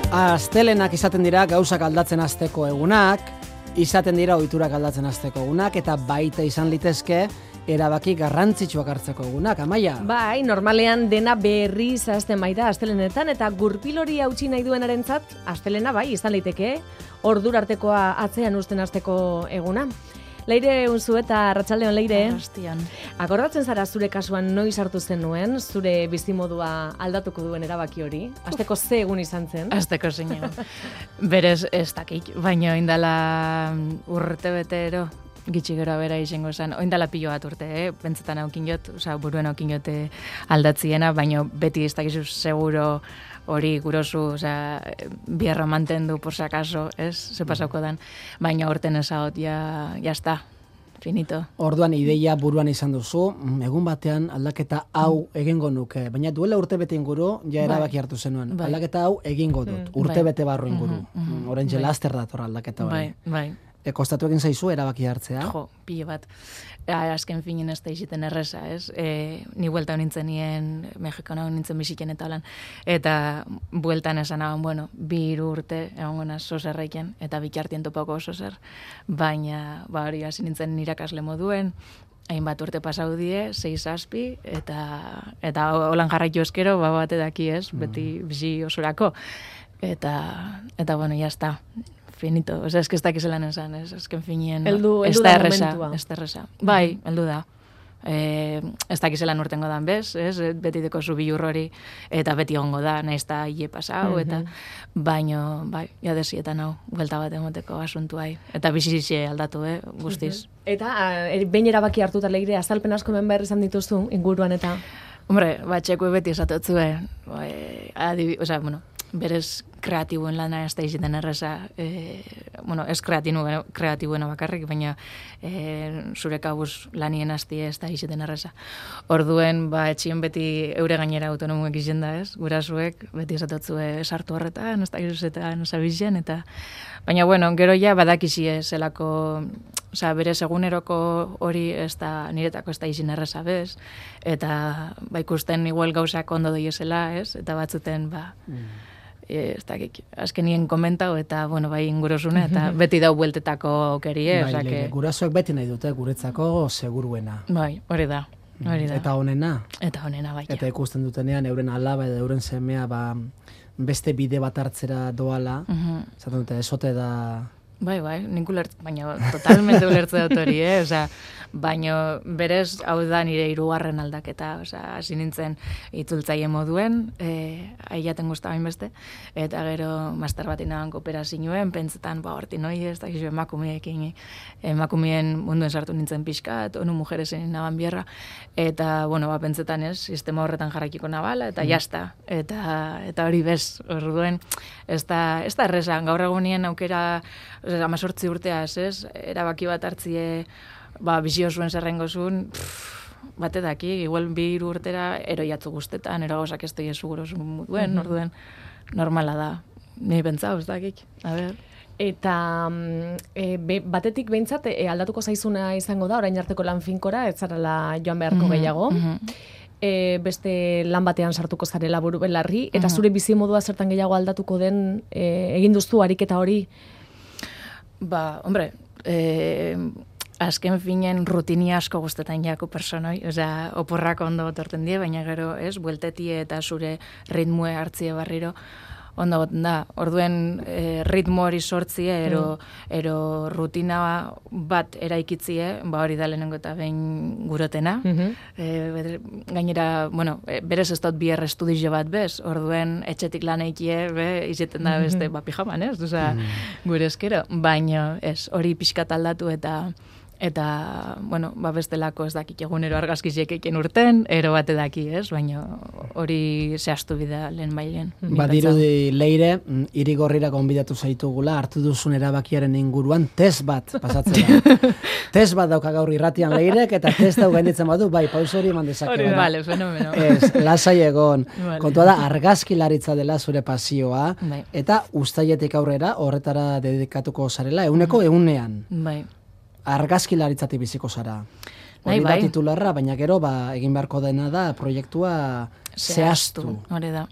Astelenak izaten dira gauzak aldatzen hasteko egunak, izaten dira ohiturak aldatzen hasteko egunak, eta baita izan litezke erabaki garrantzitsuak hartzeko egunak, Amaia. Bai, normalean dena berriz hasten baita astelenetan, eta gurpil hori hautsi nahi duenarentzat, astelena bai, izan liteke, ordura artekoa atzean uzten hasteko eguna. Leire unzu eta Arratsaldeon, Leire. Arrastian. Akordatzen zara zure kasuan noiz hartu zenuen, zure bizimodua aldatuko duen erabaki hori? Asteko ze egun izan zen? Asteko zein. Berez ez dakik, baina indala urte betero, gitxi gero bera izango zen, oindala pilo bat urte, pentsetan aukin jot, buruen aukin jote aldatziena, baina beti ez dakizu seguro hori gurozu, bierra mantendu por si acaso, ez, ze pasauko dan, baina horten ezagot, ja está, finito. Orduan ideia buruan izan duzu, egun batean aldaketa hau egingo nuke, baina duela urte bete inguru, ja erabaki hartu zenuen, aldaketa hau egingo dut, urte bete barru inguru, oraintxe laster dator aldaketa hori. Bai. Kostatu egin zaizu erabaki hartzea? Jo, pile bat. Azken finen ez da iziten erreza, ez? Ni buelta honintzen nien, Mexikona honintzen biziken eta holan. Eta bueltan esan hagan, bueno, 2 urte egon gona sozerreiken, eta bikartien topako sozer. Baina, hori hasi nintzen irakasle moduen, hainbat urte pasau die, 6-7, eta holan jarraitu eskero, bat edaki ez, beti bizi osorako. Eta bueno, jazta. Finito, ez que ez dakizelan esan, ezken finien, ez da erresa. Bai, heldu da. Ez dakizelan urtengo dan bez, beti deko zu bilur hori, eta beti ongo da, nahiz da hile pasau, eta baino, bai, jadezietan hau, buelta bat emoteko asuntu hai. Eta bizizie aldatu, guztiz. Eta, behin erabaki hartuta, Leire, azalpen asko hemen behar izan dituzu, inguruan eta? Hombre, txekue beti esatotzue, berez kreatibuen lana ez da iziten erreza, ez kreatibuena bakarrik, baina zure kabuz lanien hasti ez da iziten erreza. Orduen, etxien beti eure gainera autonomuek izen da, ez? Gurasuek beti esatotzue sartu horretan, ez da izuzetan zabizien, eta baina, gero ja badakizie zelako, berez eguneroko hori ez da, niretako ez da izin erreza bez, eta ikusten igual gauzak ondo doiezela, ez? Eta batzuten, ez dakik, azkenien komentau eta, ingurosune, eta beti dau bueltetako aukerie. Gurasoek beti nahi dute guretzako seguruena. Bai, hori da. Eta honena. Eta honena, bai. Eta ikusten dutenean, euren alaba edo euren semea, beste bide bat hartzera doala, zaten dute, esote da... Bai, nik baina totalmente ulertze dut hori, baina berez hau da nire 3. aldaketa, hasi nintzen itzultzaile moduen, aiaten guzta bain beste, eta gero master bat inagan kooperazioen, pentsetan, horti noi ez, dakizu emakumiekin, emakumien munduen sartu nintzen pixkat, onu mujeresen inaban bierra, eta, pentsetan ez, sistema horretan jarrakiko nabala, eta jazta, eta hori bez, orduen, ez da errezan, gaur egunien aukera, 18 urteaz, ez? Erabaki bat hartzie, bizio zuen zerrengo zuen, bate daki, igual 2 urtera eroiatzu guztetan, erogozak ez doi seguro zuen duen, orduen, normala da. Ni pentsau, ez dakik, a ber. Eta batetik behintzat, aldatuko zaizuna izango da, orain arteko lan finkora, ez zarela joan beharko gehiago. Beste lan batean sartuko zarela buru belarri, eta zure bizimodua zertan gehiago aldatuko den, egin duztu ariketa hori? Hombre, azken finen rutini asko guztetan jako personoi, oporrak ondo torten die, baina gero, bueltetie eta zure ritmue hartzie barriro, ondo goten da. Orduen ritmo hori sortzie, ero rutina bat eraikitzie, hori da lehenengo eta behin gurotena. Gainera, berez ez dut bier estudizio bat bez, orduen etxetik lan eikie, izeten da beste pijaman, ez? Gure eskero. Baina hori pixkat aldatu eta, bestelako ez dakik egunero argazkiziek eiken urten, ero bate daki, ez? Baina hori zehaztu bida lehen bailen. Badirudi, Leire, Irigorrira gonbidatu zaitugula, hartu duzun erabakiaren inguruan, test bat pasatzea. Test bat dauka gaur irratian Leirek, eta test hau gainditzen badu, pauso hori eman dezake. Vale, fenomeno. Lasai egon. Kontua da, argazkilaritza dela zure pasioa, eta uztailetik aurrera, horretara dedikatuko zarela, 100%. Bai. Argazkilaritzatik biziko zara. hori da titularra, baina gero egin beharko dena da proiektua zehaztu. Hori da,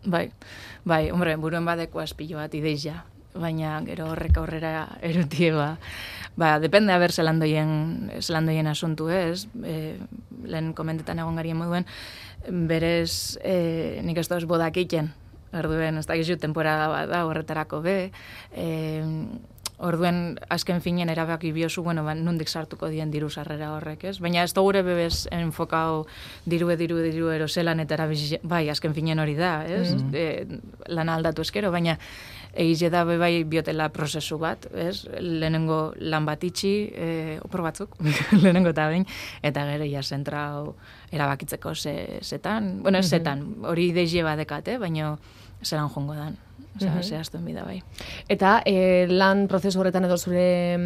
bai, hombre, buruen badeko azpilo bat ideia, baina gero horrek aurrera erutie depende haber zelandoien asuntu ez, lehen komentetan egon garien moduen, berez nik ez doaz bodak egiten, orduen, ez da gizu temporada bat da horretarako orduen azken finen erabaki biozu, nondik sartuko dien diru sarrera horrek, ez? Baina ez da gure bebez enfokau diru eroselan eta bai, azken finen hori da, ez? Lana aldatu eskero, baina egize da bai biotela prozesu bat, ez? Lehenengo lan bat itxi, opor batzuk, lehenengo eta bain, eta gero ja zentrau erabakitzeko zetan, hori ideie badekat, baina zelan jongo dan. Zehaztuen bida bai. Eta lan prozesu horretan edo zure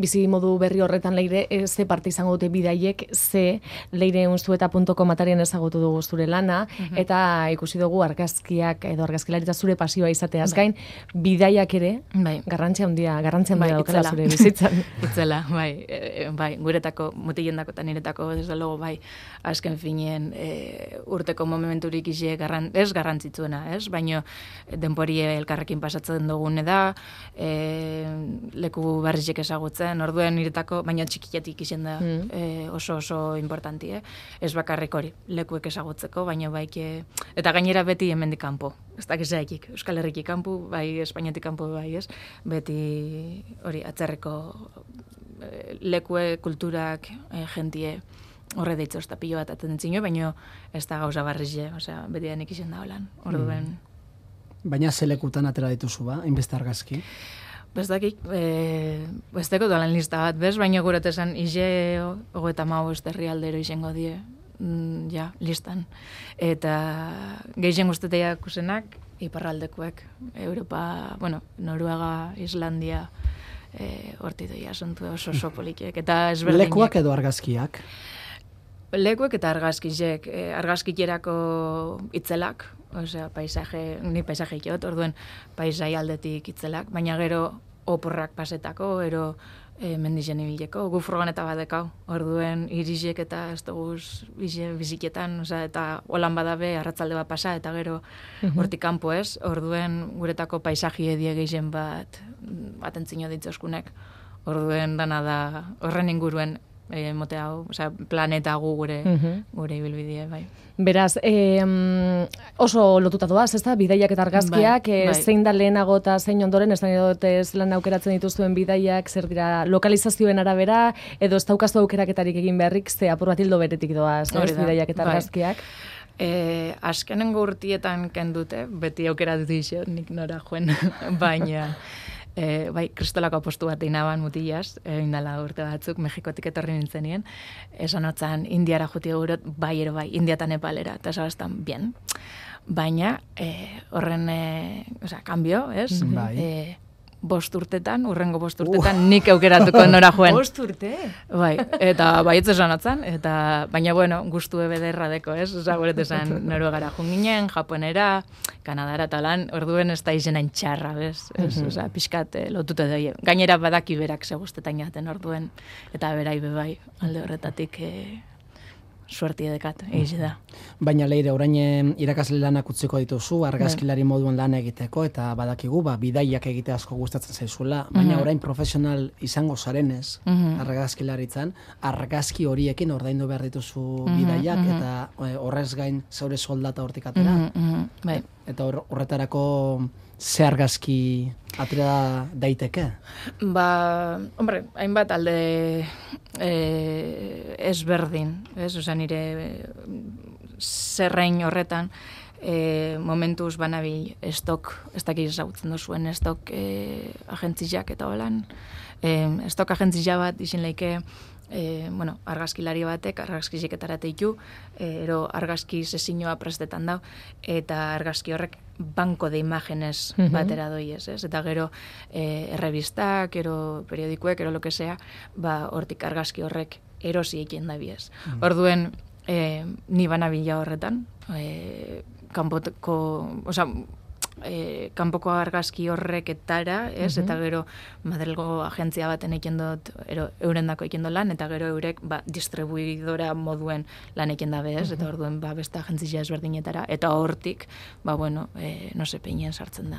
bizi modu berri horretan leire, ze parte izango dute bidaiek, ze leireunzueta.com atarien ezagutu dugu zure lana, eta ikusi dugu argazkiak edo argazkilaritza zure pasioa izateaz gain, bidaiak ere, garrantzia handia daukala zure bizitzan. Itzela, bai, guretako, mutilendako eta niretako, desde logo, bai, azken finien urteko momenturik izi ez garrantzitzuena, ez? Baina denporie elkarrekin pasatzen dugune da, leku berrizek ezagutzen, orduen niretako, baina txikietik izen da oso importanti, ez bakarrik hori, lekuek ezagutzeko, baina baike, eta gainera beti hemendik kanpo, ez dakizaikik, Euskal Herrikik kanpo, bai, Espainiatik kanpo, bai, ez, beti hori atzerreko lekue, kulturak, jentie, horre deitzo, ez da pilo bat atentzino, baina ez da gauza barrize, osea, beti denik izen da holan, orduen. Baina zelekutan atera dituzu hainbeste argazki? Bestakik, besteko dolan lista bat, bez, baina guretesan ize 35 herrialdero izango die, listan. Eta gehien guztetea kusenak, iparraldekuek, Europa, Noruega, Islandia, horti doia asuntu oso polikiek. Lekuak edo argazkiak? Lekuek eta argazkizek, argazkiterako itzelak, osea, ni paisaje ikot, orduen paisai aldetik itzelak, baina gero oporrak pasetako, ero mendizen ibileko, gu furgoneta badekau, orduen irizek eta ez duguz biziketan, osea, eta holan badabe, arratzalde bat pasa, eta gero hortik kanpo ez, orduen guretako paisaji edie gehien bat atentzino ditzoskunek, orduen dana da horren inguruen mote hau, osea, planeta gure ibilbidea, bai. Beraz, oso lotuta doaz, ez da, bidaiak eta argazkiak, zein da lehenago eta zein ondoren, ez da lan aukeratzen dituzuen bidaiak, zer dira lokalizazioen arabera, edo ez daukazu aukeraketarik egin beharrik, ze apur bat hildo beretik doaz, bidaiak eta argazkiak. Azkenengo urtietan kendute, beti aukera dut iso, nik nora joen, baina... kristolako apostu bat inaban mutilaz, indala urte batzuk, Mexikotik etorri nintzenien, esan hotzan Indiara juti gurot, bai, India eta Nepalera, eta esabaztan, bien. Baina, horren, kambio, ez? Bost urtetan, nik aukeratuko nora joen. 5 urte? Bai, eta baietz esan hotzan, baina, gustu bederra deko, ez? Guret esan Noruegara junginen, Japonera, Kanadara eta lan, orduen ez da izenain txarra, bez? Pixkat lotute doi. Gainera badaki berak ze guztetan jaten orduen, eta berai bebai, alde horretatik suerti edekat, egiz da. Baina leire, orain irakasle lanak utziko dituzu, argazkilari moduan lan egiteko, eta badakigu, bidaiak egite asko gustatzen zaizula, baina orain profesional izango zarenez, argazkilaritzan, argazki horiekin ordaindu behar dituzu bidaiak, eta horrez gain zaure soldata hortik atera. Eta horretarako ze argazki atera daiteke? Hombre, hainbat alde ezberdin, ez? Osa nire zerrein horretan momentuz banabil estok, ez dakiz ezagutzen duzuen estok agentziak eta holan. Estok agentzia bat izin leike argazkilari batek, argazkiziketarate ditu, ero argazki sesiñoa prestetan dau, eta argazki horrek banko de imágenes batera doiez, ez? Eta gero errebistak, ero periodikuek, ero lo que sea, hortik argazki horrek erosi ekien da biez. Orduen, ni banabila horretan, kanpoteko, kanpoko argazki horreketara, ez? Eta gero Madrilgo agentzia baten egin dut, eurendako egin dut lan, eta gero eurek distribuidora moduen lan egin dabe, ez? Eta orduen beste agentzia ezberdinetara, eta hortik, peinen sartzen da.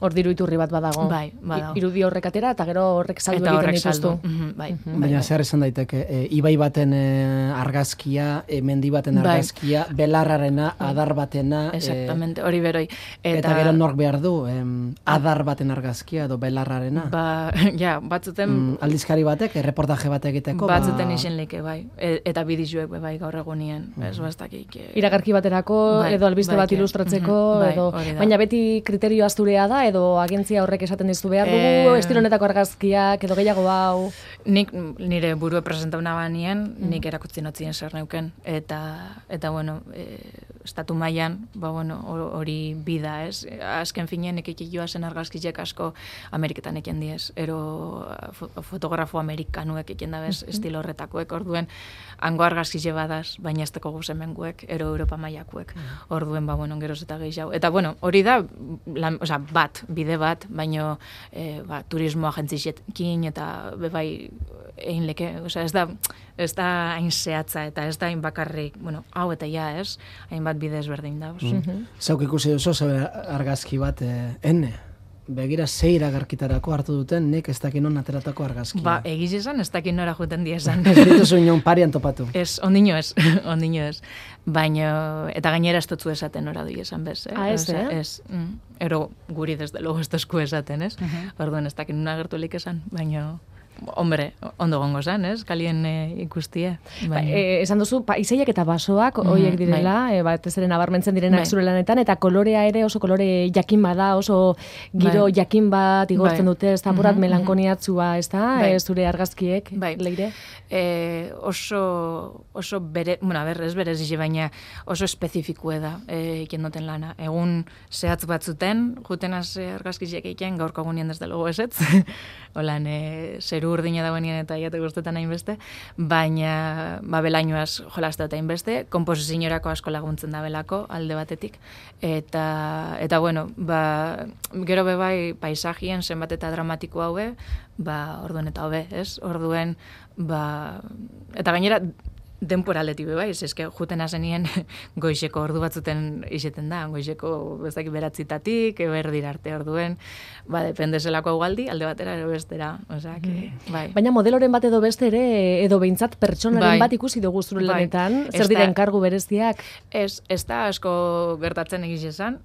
Hor diru iturri bat badago. Bai, badago. Irudi horrek atera, eta gero horrek saldu egiten dituztu. Bai. Baina zer esan daiteke, ibai baten argazkia, mendi baten argazkia, belarrarena, adar batena. Exactamente, hori beroi. Eta gero nork behar du, adar baten argazkia edo belarrarena. Batzuten... aldizkari batek, reportaje bat egiteko. Batzuten izen like, bai. Eta bidizuek, bai, gaur egunien. Ez bastakik. Iragarki baterako, edo albiste bat ilustratzeko, edo... Baina beti kriterio asturea da, edo agentzia horrek esaten dizu behar dugu, estilo honetako argazkiak, edo gehiago hau... Nik nire burue presentauna banien, nik erakutzi notzien zer neuken. Eta bueno, estatu mailan, hori bida, ez? Azken finean, ekik joazen argazkiek asko Ameriketan eken diez. Ero fotografo amerikanuek eken dabez, estilo horretakoek, orduen, hango argazkize badaz, baina ez teko guzemenguek, ero Europa mailakuek. Orduen, geroz eta gehiago. Eta, hori da, bide bat, baino turismo agentzizekin eta bebai egin leke, ez da hain zehatza eta ez da hain bakarrik, hau eta ja ez, hainbat bide ezberdin da. Zauk ikusi duzu, argazki bat, ene? Begira zeira garkitarako hartu duten, nik ez dakin non ateratako argazkia. Egiz esan, ez dakin nora juten diezan. Ez dituzu inon parian topatu. Ez, ondino ez. Baina, eta gainera ez dutzu esaten nora du esan bez, Ez, Ez, ero guri desde logo ez duzku esaten, ez? Orduan ez dakin nuna gertulik esan, baina... Hombre, ondo gongo zan, ez? Kalien ikustia. Esan duzu, paisaiak eta basoak horiek direla, ez ere nabarmentzen direnak zure lanetan, eta kolorea ere oso kolore jakin bada, oso giro jakin bat igortzen dute, ez da apurat melankoniatzua, ez da, zure argazkiek, leire? Oso bere, ez berez izi, baina oso espezifikue da iken duten lana. Egun zehatz batzuten, juten az argazkiziek eiken, gaurko egunien desde logo ezetz, holan, zeru urdina dagoenien eta jate guztetan hainbeste, baina belainoaz jolazte eta hainbeste, komposizionerako asko laguntzen da belako, alde batetik, eta gero bebai paisajien zenbat eta dramatiko haue, orduen eta hobe, ez? Orduen, eta gainera, temporaleti bai, eske juten azenien goizeko ordu batzuten iseten da, goizeko bezaki beratzitatik, berdira arte orduen, dependezelako augaldi, alde batera ero bestera, bai. Baina modeloren bat edo beste ere, edo behintzat pertsonaren bat ikusi dugu zure lanetan, zer dira enkargu bereziak? Ez da asko gertatzen egiz esan,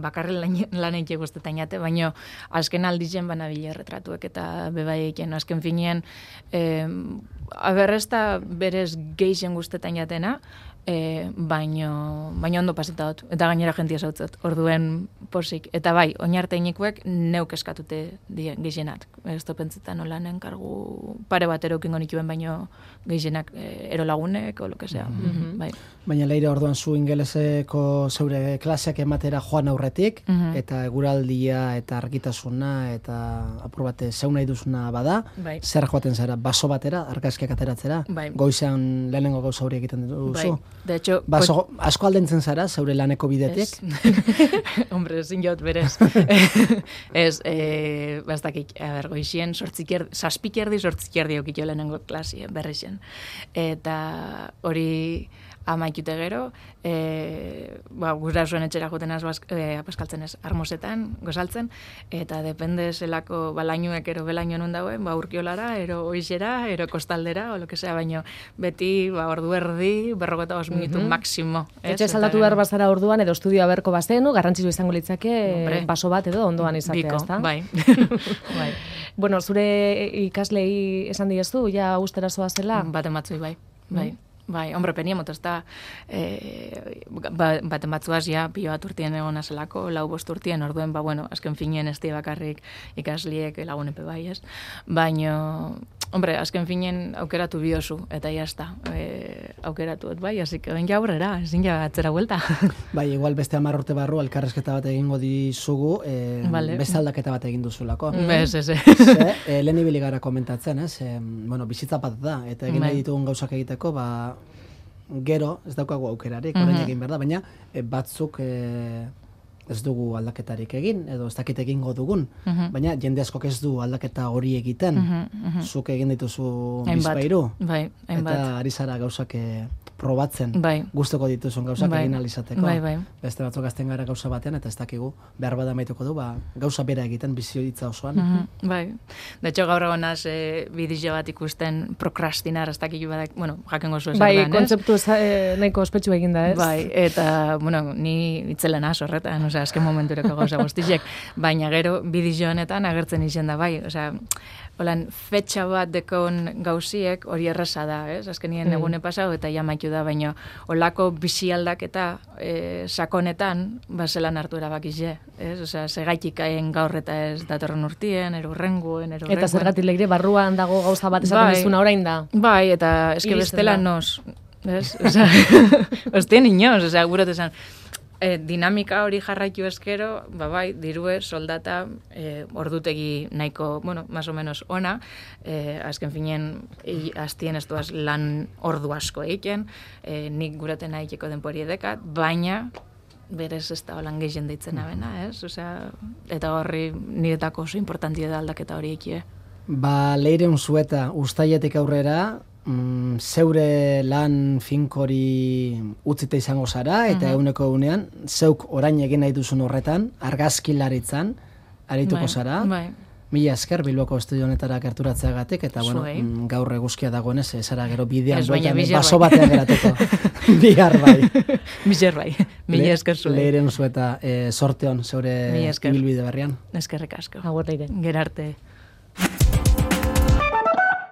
bakarren lan eike guztetan jate, baina azken aldizen banabile retratuek eta bebai eiken, azken finean, ez da berez geixen guztetan jatena, baina ondo paseta dut, eta gainera jentia zautzot, orduen posik. Eta bai, oinarteinikuek neuk eskatute geixenat. Ez topentzetan olanen kargu pare bat erokingo nituen, baino geixenak erolagunek, o lo que sea. Bai. Baina leire orduan zu ingeleseko zeure klaseak ematera joan aurretik, eta eguraldia eta argitasuna eta apur bate zeu nahi duzuna bada, zer joaten zara, baso batera, argazkiak ateratzera, goizean lehenengo gauza hori egiten duzu. De hecho, asko aldentzen zara, zeure laneko bidetik? Hombre, ezin jaut berez. Ez, bastakik, goizien, saspikierdi, sortzikierdi okitio lehenengo klasi, berrixen. Eta hori amaikute gero, gura zuen etxera joten apaskaltzen ez, armosetan, gozaltzen, eta depende zelako balainuek ero belaino nun dauen, urkiolara, ero oixera, ero kostaldera, o lo que sea, baino beti ordu erdi, 45 minutu maksimo. Etxe saldatu behar bazara orduan, edo estudioa berko bazenu, garrantzizu izango litzake, baso bat edo ondoan izatea, ezta? Bai. Bueno, zure ikaslei esan diezu, ja ustera zoazela? Baten batzui, bai. Bai, hombre, peniemot, ez da, baten batzuaz, pilo bat urtien egon azelako, 4-5 urtien, orduen, azken finien ez bakarrik ikasliek lagunepe bai, ez? Baina, hombre, azken finien aukeratu biozu, eta jazta, aukeratu, bai, así que ben aurrera, ezin ja atzera vuelta. Bai, igual beste 10 urte barru, elkarrezketa bat egingo dizugu, beste aldaketa bat egin duzulako. Ez. Lehen ibili gara komentatzen, ez? Bizitza bat da, eta egin nahi ditugun gauzak egiteko, gero, ez daukagu aukerarik, orain egin behar da, baina batzuk ez dugu aldaketarik egin, edo ez dakit egingo dugun, baina jende askok ez du aldaketa hori egiten, zuk egin dituzu bizpairu, eta ari zara gauzak probatzen, gustoko dituzun gauzak egin alizateko. Beste batzuk azten gara gauza batean, eta ez dakigu, behar bada maituko du, gauza bera egiten bizitza osoan. Bai, de hecho gaur egonaz bideo bat ikusten prokrastinar, ez dakigu badak, bueno, jakengo zuen zer dan, kontzeptu nahiko ospetsu eginda, ez? Bai, eta, bueno, ni itzelen horretan, osea, azken momentureko gauza guztizek, baina gero bideo honetan agertzen izen da, bai, osea, holan, fetxa bat dekon gauziek hori erraza da, ez? Azkenien egune pasau eta jamaitu da, baina holako bizi aldaketa sakonetan, zelan hartu erabakize, ez? Osea, segaitik haien gaur eta ez datorren urtien, erurrenguen. Eta zergatik leire, barruan dago gauza bat esaten dizuna orain da. Bai, eta eske bestela nos, ez? Osea, ostien inoz, osea, gurot esan, dinamika hori jarraitu eskero, bai, dirue, soldata, ordutegi nahiko, bueno, más o menos ona, azken finen, aztien ez duaz lan ordu asko eiken, nik guraten haikeko denpori edekat, baina, berez ez da holan gehien deitzen abena, ez? Osea, eta horri niretako oso importantia da aldaketa hori eikie. Leiren zueta, ustaietik aurrera, zeure lan finkori utzita izango zara, eta eguneko egunean, zeuk orain egin nahi duzun horretan, argazkilaritzan, arituko zara. Mila esker, Bilboko estudio honetara gerturatzeagatik, eta bueno, gaur eguzkia dagoenez, zara gero bidean baso batean gerateko. Bihar bai. Mila esker zuen. Leiren zueta, sorte hon, zeure ibilbide berrian. Eskerrik asko. Agur leire. Gerarte.